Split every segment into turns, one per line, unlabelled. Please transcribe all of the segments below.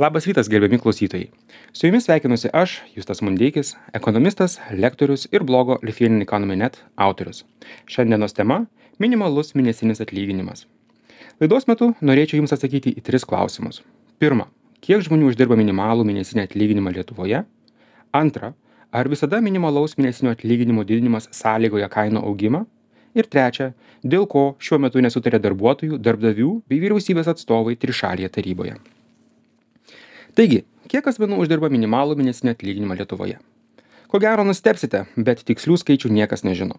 Labas rytas, gerbiami klausytojai. Su jumis sveikinusi aš, Justas Mundeikis, ekonomistas, lektorius ir blogo Lithuanian Economy Net autorius. Šiandienos tema – minimalus mėnesinis atlyginimas. Laidos metu norėčiau jums atsakyti į 3 klausimus. Pirma, kiek žmonių uždirba minimalų mėnesinį atlyginimą Lietuvoje? Antra, ar visada minimalaus mėnesinio atlyginimo didinimas sąlygoja kainų augimą? Ir trečia, dėl ko šiuo metu nesutarė darbuotojų, darbdavių bei vyriausybės atstovai trišalėje taryboje. Taigi, kiek asmenų uždirba minimalų mėnesinį atlyginimą Lietuvoje? Ko gero nustebsite, bet tikslių skaičių niekas nežino.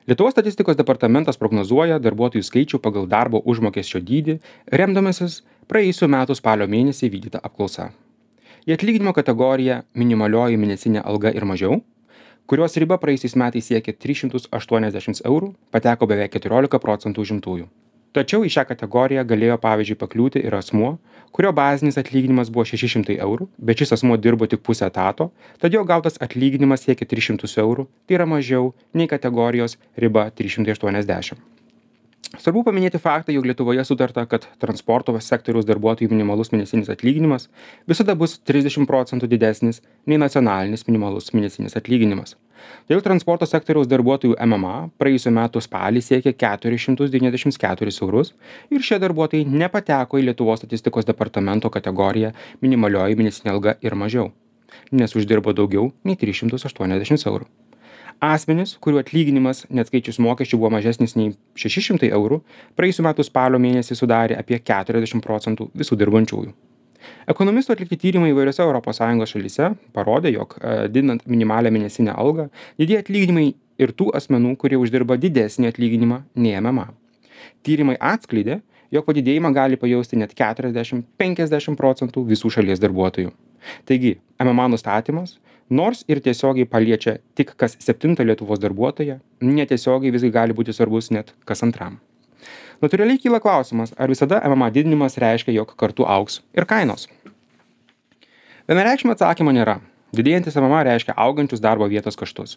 Lietuvos statistikos departamentas prognozuoja darbuotojų skaičių pagal darbo užmokesčio dydį, remdamasis praėjusių metų spalio mėnesį vykdyta apklausa. Į atlyginimo kategoriją minimalioji mėnesinė alga ir mažiau, kurios riba praėjusiais metais siekė 380 eurų, pateko beveik 14% užimtųjų. Tačiau į šią kategoriją galėjo pavyzdžiui pakliūti ir asmuo, kurio bazinis atlyginimas buvo 600 eurų, bet šis asmuo dirbo tik pusę etato, tad jo gautas atlyginimas siekia 300 eurų, tai yra mažiau nei kategorijos riba 380. Svarbu paminėti faktą, jog Lietuvoje sutarta, kad transporto sektoriaus darbuotojų minimalus mėnesinis atlyginimas visada bus 30% didesnis nei nacionalinis minimalus mėnesinis atlyginimas. Dėl transporto sektoriaus darbuotojų MMA praėjusiu metu spalį siekė 494 eurus ir šie darbuotojai nepateko į Lietuvos statistikos departamento kategoriją minimalioji mėnesinė alga ir mažiau, nes uždirbo daugiau nei 380 eurų. Asmenys, kurių atlyginimas neatskaičius mokesčių buvo mažesnis nei 600 eurų, praėjusiu metu spalio mėnesį sudarė apie 40% visų dirbančiųjų. Ekonomistų atlikti tyrimai įvairiose ES šalyse parodė, jog didinant minimalią mėnesinę algą, didėja atlyginimai ir tų asmenų, kurie uždirba didesnį atlyginimą nei MMA. Tyrimai atskleidė, jog padidėjimą gali pajausti net 40-50% visų šalies darbuotojų. Taigi, MMA nustatymas, nors ir tiesiogiai paliečia tik kas 7 Lietuvos darbuotoją, netiesiogiai visgi gali būti svarbus net kas 2. Natūraliai kyla klausimas, ar visada MMA didinimas reiškia, jog kartu augs ir kainos. Vienareikšmio atsakymo nėra. Didėjantis MMA reiškia augančius darbo vietos kaštus.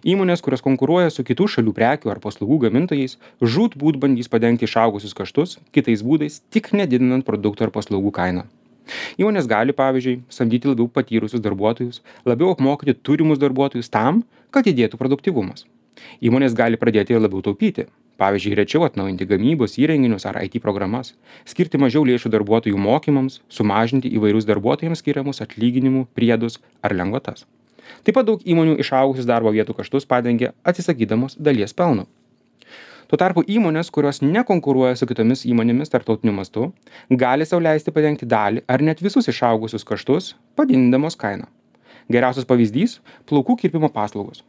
Įmonės, kurios konkuruoja su kitų šalių prekių ar paslaugų gamintojais, žūtbūt bandys padengti išaugusius kaštus kitais būdais, tik nedidinant produktų ar paslaugų kainą. Įmonės gali, pavyzdžiui, samdyti labiau patyrusius darbuotojus, labiau apmokyti turimus darbuotojus tam, kad didėtų produktyvumas. Įmonės gali pradėti ir labiau taupyti, pavyzdžiui, rečiau atnaujinti gamybos įrenginius ar IT programas, skirti mažiau lėšų darbuotojų mokymams, sumažinti įvairius darbuotojams skiriamus atlyginimų, priedus ar lengvatas. Taip pat daug įmonių išaugusius darbo vietų kaštus padengia atsisakydamos dalies pelno. Tuo tarpu įmonės, kurios nekonkuruoja su kitomis įmonėmis tarptautiniu mastu, gali sau leisti padengti dalį ar net visus išaugusius kaštus, padidindamos kainą. Geriausias pavyzdys – plaukų kirpimo paslaugos.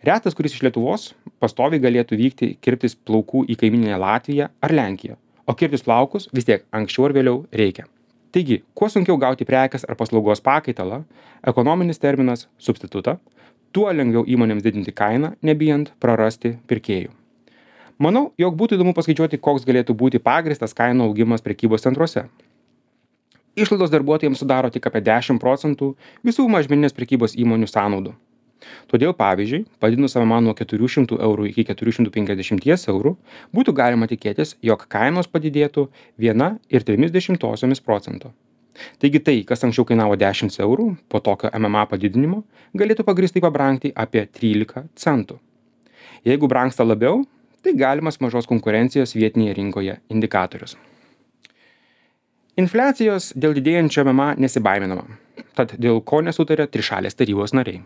Retas, kuris iš Lietuvos pastoviai galėtų vykti kirptis plaukų į kaimyninę Latviją ar Lenkiją, o kirptis plaukus vis tiek anksčiau ar vėliau reikia. Taigi, kuo sunkiau gauti prekės ar paslaugos pakaitalą, ekonominis terminas – substitutą, tuo lengviau įmonėms didinti kainą, nebijant prarasti pirkėjų. Manau, jog būtų įdomu paskaičiuoti, koks galėtų būti pagrįstas kainų augimas prekybos centruose. Išlaidos darbuotojams sudaro tik apie 10% visų mažmeninės prekybos įmonių sąnaudų. Todėl, pavyzdžiui, padidinus MMA nuo 400 eurų iki 450 eurų, būtų galima tikėtis, jog kainos padidėtų 1,3%. Taigi tai, kas anksčiau kainavo 10 eurų, po tokio MMA padidinimo, galėtų pagrįstai pabrangti apie 13 centų. Jeigu brangsta labiau, tai galimas mažos konkurencijos vietinėje rinkoje indikatorius. Infliacijos dėl didėjančio MMA nesibaiminama, tad dėl ko nesutarė trišalės tarybos nariai.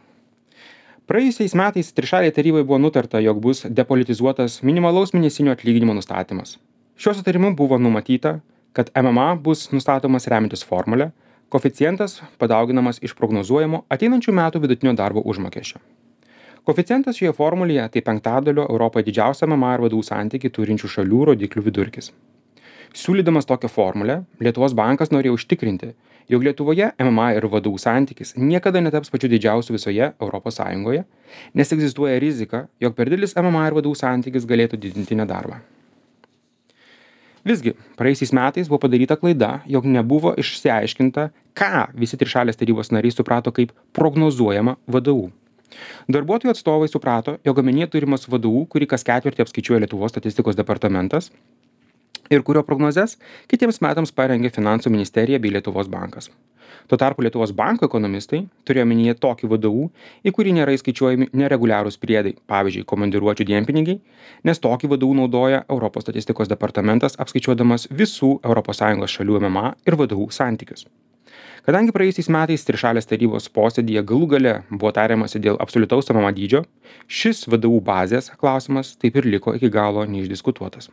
Praėjusiais metais trišalėje taryboje buvo nutarta, jog bus depolitizuotas minimalaus mėnesinio atlyginimo nustatymas. Šiuo sutarimu buvo numatyta, kad MMA bus nustatomas remiantis formulę, koeficientas padauginamas iš prognozuojamo ateinančių metų vidutinio darbo užmokesčio. Koeficientas šioje formulėje tai 5/5 Europoje didžiausia MMA ir VDU santykį turinčių šalių rodiklių vidurkis. Siūlydamas tokią formulę, Lietuvos bankas norėjo užtikrinti, jog Lietuvoje MMA ir VDU santykis niekada netaps pačiu didžiausiu visoje ES, nes egzistuoja rizika, jog per didelis MMA ir VDU santykis galėtų didinti nedarbą. Visgi, praėjusiais metais buvo padaryta klaida, jog nebuvo išsiaiškinta, ką visi trišalės tarybos nariai suprato kaip prognozuojama VDU. Darbuotojų atstovai suprato, jog omenyje turimas VDU, kurį kas ketvirtį apskaičiuoja Lietuvos statistikos departamentas ir kurio prognozes kitiems metams parengė Finansų ministerija bei Lietuvos bankas. Tuo tarpu Lietuvos banko ekonomistai turėjo omenyje tokį VDU, į kurį nėra įskaičiuojami nereguliarūs priedai, pavyzdžiui, komandiruočių dienpinigiai, nes tokį VDU naudoja Europos statistikos departamentas apskaičiuodamas visų ES šalių MMA ir VDU santykius. Kadangi praėjusiais metais trišalės tarybos posėdyje galų gale buvo tariamasi dėl absoliutaus MMA dydžio, šis VDU bazės klausimas taip ir liko iki galo neišdiskutuotas.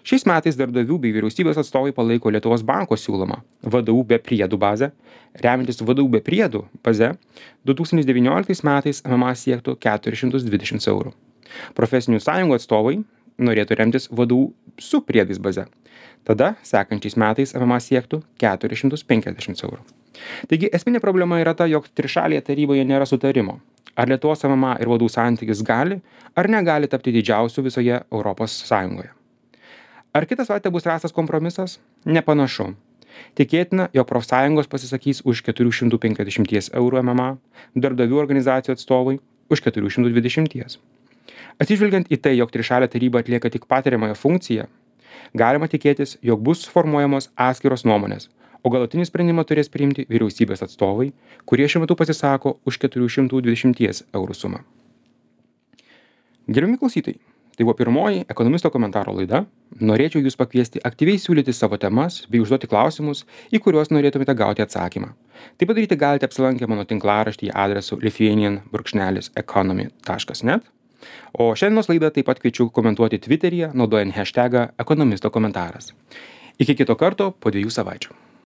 Šiais metais darbdavių bei vyriausybės atstovai palaiko Lietuvos banko siūlomą VDU be priedų bazę. Remiantis VDU be priedų baze, 2019 metais MMA siektų 420 eurų. Profesinių sąjungų atstovai norėtų remtis VDU su priedais baze. Tada sekančiais metais MMA siektų 450 eurų. Taigi esminė problema yra ta, jog trišalėje taryboje nėra sutarimo. Ar Lietuvos MMA ir VDU santykis gali ar negali tapti didžiausiu visoje Europos Sąjungoje. Ar kitą savaitę bus rastas kompromisas? Nepanašu. Tikėtina, jog profsąjungos pasisakys už 450 eurų MMA, darbdavių organizacijų atstovai už 420. Atsižvelgiant į tai, jog trišalė taryba atlieka tik patariamąją funkciją, galima tikėtis, jog bus formuojamos atskiros nuomonės, o galutinį sprendimą turės priimti vyriausybės atstovai, kurie šiuo metu pasisako už 420 eurų sumą. Gerbiami klausytojai, tai buvo pirmoji ekonomisto komentaro laida. Norėčiau jūs pakviesti aktyviai siūlyti savo temas bei užduoti klausimus, į kuriuos norėtumėte gauti atsakymą. Tai padaryti galite apsilankę mano tinklaraštyje adresu lithuanian-economy.net. O šiandienos laidą taip pat kviečiu komentuoti Twitteryje, naudojant hashtagą ekonomisto komentaras. Iki kito karto po 2 savaičių.